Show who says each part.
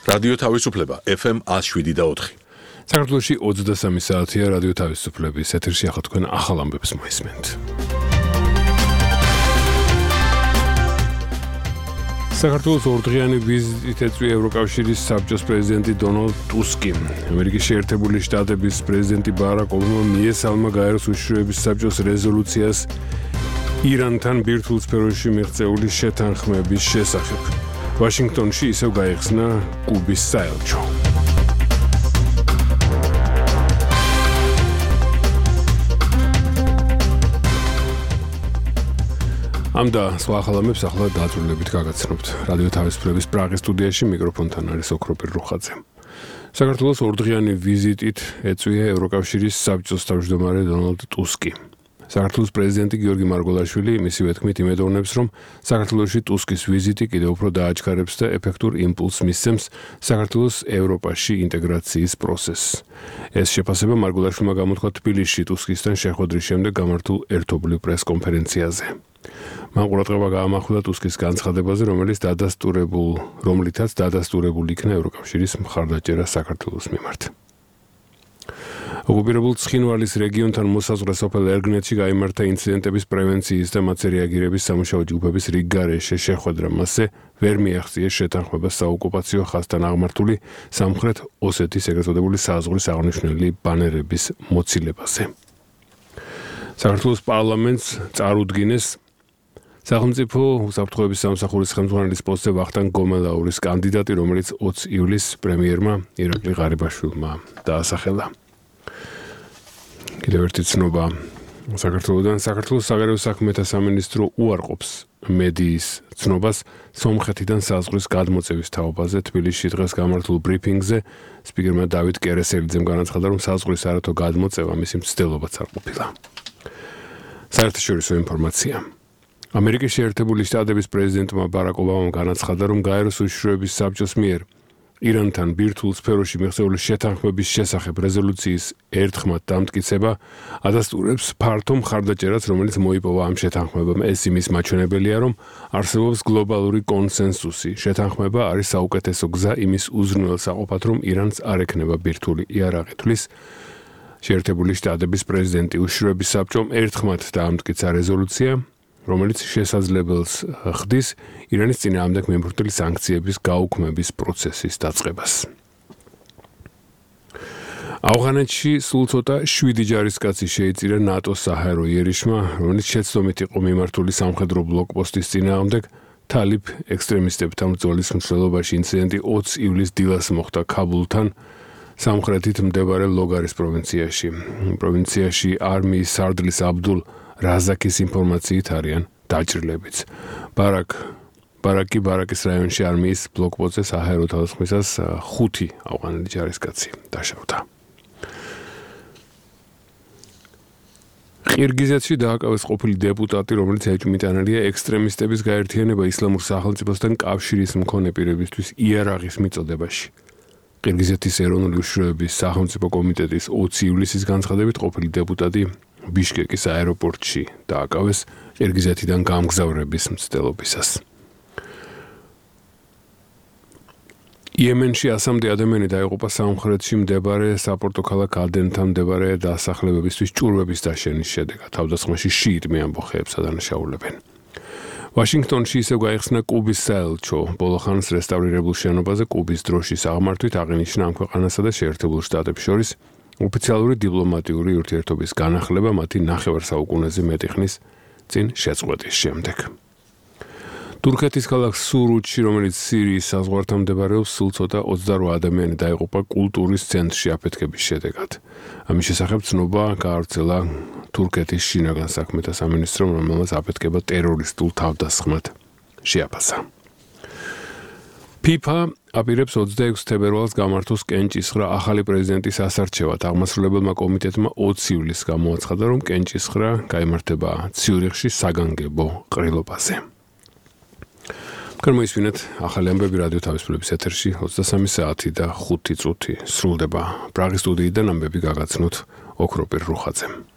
Speaker 1: რადიო თავისუფლება FM 107.4.
Speaker 2: საქართველოში 23 საათია რადიო თავისუფლების ეთერში ახლა თქვენ ახალ ამბებს მოისმენთ. საქართველოს ორდღიანი ვიზიტით ეწვია ევროკავშირის საბჭოს პრეზიდენტი დონალდ ტუსკი. ამერიკის შეერთებული შტატების პრეზიდენტი ბარაკ ობამა მიესალმა გაეროს უშიშროების საბჭოს რეზოლუციას ირანთან ბირთვულ სფეროში მიღწეული შეთანხმების შესახებ. ვაშინგტონში ისევ გაიხსნა კუბის საელჩო. ამ და სხვა ახალ ამბებს ახლა დაწვრილებით გაგაცნობთ. რადიო თავისუფლების პრაღის სტუდიაში მიკროფონთან არის ოქროპირ რუხაძე. საქართველოს ორდღიანი ვიზიტით ეწვია ევროკავშირის საბჭოს თავმჯდომარე დონალდ ტუსკი. საქართველოს პრეზიდენტი გიორგი მარგველაშვილი მისივე თქმით იმედოვნებს, რომ საქართველოში ტუსკის ვიზიტი კიდევ უფრო დააჩქარებს და ეფექტურ იმპულსს მისცემს საქართველოს ევროპაში ინტეგრაციის პროცესს. ეს შეფასება მარგველაშვილმა გამოთქვა თბილისში ტუსკისთან შეხვედრის შემდეგ გამართულ ერთობლივ პრესკონფერენციაზე. მან ყურადღება გაამახვილა ტუსკის განცხადებაზე, რომლითაც დადასტურებულ იქნა ევროკავშირის მხარდაჭერა საქართველოს მიმართ. ოკუპირებულ ცხინვალის რეგიონთან მოსაზღვრე სოფელ ერგნეთში გაიმართა ინციდენტების პრევენციის და მათზე რეაგირების სამუშაო ჯგუფების რიგგარეშე შეხვედრა. მასზე ვერ მიაღწიეს შეთანხმებას საოკუპაციო ხაზთან აღმართული სამხრეთ ოსეთის ეგრეთ წოდებული საზღვრის აღნიშნული ბანერების მოცილებას. საქართველოს პარლამენტს წარუდგინეს სახელმწიფო უსაფრთხოების სამსახურის ხელმძღვანელის პოსტზე ვახტანგ გომელაურის კანდიდატი, რომელიც 20 ივლისს პრემიერმა ირაკლი ღარიბაშვილმა დაასახელა. კიდევ ერთი ცნობა საქართველოდან. საქართველოს საგარეო საქმეთა სამინისტრო უარყოფს მედიის ცნობას სომხეთიდან საზღვრის გადმოწევის თაობაზე. თბილისში დღეს გამართულ ბრიფინგზე სპიკერმა დავით კერესელიძემ განაცხადა, რომ საზღვრის არათო გადმოწევა მისი მცდელობაც არ ყოფილა. საერთაშორისო ინფორმაცია. ამერიკის შეერთებული შტატების პრეზიდენტმა ბარაკ ობამამ განაცხადა, რომ გაეროს უშიშროების საბჭოს მიერ ირანთან ბირთვულ სფეროში მიღწეული შეთანხმების შესახებ რეზოლუციის ერთხმად დამტკიცება ადასტურებს ფართო მხარდაჭერას, რომელიც მოიპოვა ამ შეთანხმებამ. ეს იმის მაჩვენებელია, რომ არსებობს გლობალური კონსენსუსი. შეთანხმება არის საუკეთესო გზა იმის უზრუნველსაყოფად, რომ ირანს არ ექნება ბირთვული იარაღი. თვლის შეერთებული შტატების პრეზიდენტი. უშიშროების საბჭომ ერთხმად დაამტკიცა რეზოლუცია, რომელიც შესაძლებელს ხდის ირანის წინააღმდეგ მიმართული სანქციების გაუქმების პროცესის დაწყებას. ავღანეთში სულ ცოტა 7 ჯარისკაცი შეიწირა ნატოს საჰაერო იერიშმა, რომელიც შეცდომით იყო მიმართული სამხედრო ბლოკპოსტის წინააღმდეგ. თალიბ ექსტრემისტებთან ბრძოლის მსვლელობაში ინციდენტი 20 ივლისს დილას მოხდა ქაბულთან, სამხრეთით მდებარეობს ლოგარის პროვინციაში. პროვინციაში არმიის სარდლის აბდულ რაზაკის ინფორმაციით არიან დაჭრილებიც. ბარაკის რაიონში არმიის ბლოკპოსტზე საჰაერო თავდასხმისას 5 ავღანელი ჯარისკაცი დაშავდა. ყირგიზეთში დააკავეს ყოფილი დეპუტატი, რომელიც ეჭვმიტანილია ექსტრემისტების გაერთიანება ისლამურ სახელმწიფოსთან კავშირის მქონე პირებისთვის იარაღის მიწოდებაში. ყირგიზეთის ეროვნული უშიშროების სახელმწიფო კომიტეტის 20 ივლისის განცხადებით ყოფილი დეპუტატი ბიშკეკის აეროპორტში დააკავეს ყირგიზეთიდან გამგზავრების მცდელობისას. იემენში 100-მდე ადამიანი დაიღუპა სამხრეთში მდებარე საპორტო ქალაქ ადენთან მდებარე დასახლებებისთვის ჭურვების დაშენის შედეგად. თავდასხმაში შიიტმე ამბოხეებს ადანაშაულებენ. ვაშინგტონში ისევ გაიხსნა კუბის საელჩო. ბოლო ხანს რესტავრირებულ შენობაზე კუბის დროშის აღმართვით აღინიშნა ამ ქვეყანასა და შეერთებულ შტატებს შორის ოფიციალური დიპლომატიური ურთიერთობის განახლება მათი ნახევარსაუკუნეზე მეტი ხნის წინ შეწყვეტის შემდეგ. თურქეთის ქალაქ სურუთში, რომელიც სირიის საზღვართან მდებარეობს, სულ ცოტა 28 ადამიანი დაიღუპა კულტურის ცენტრში აფეთქების შედეგად. ამის შესახებ ცნობა გაავრცელა თურქეთის შინაგან საქმეთა სამინისტრომ, რომელმაც აფეთქება ტერორისტულ თავდასხმად შეაფასა. FIFA აპირებს 26 თებერვალს გამართოს კენჭისხრა ახალი პრეზიდენტის ასარჩევად. აღმასრულებელმა კომიტეტმა 20 ივლისს გამოაცხადა, რომ კენჭისხრა გაიმართება ციურიხში საგანგებო ყრილობაზე. გამოისმინეთ ახალი ამბები რადიო თავისუფლების ეთერში 23 საათი და 5 წუთი სრულდება. პრაღის სტუდიიდან ამბები გაგაცნოთ ოქროპირ რუხაძემ.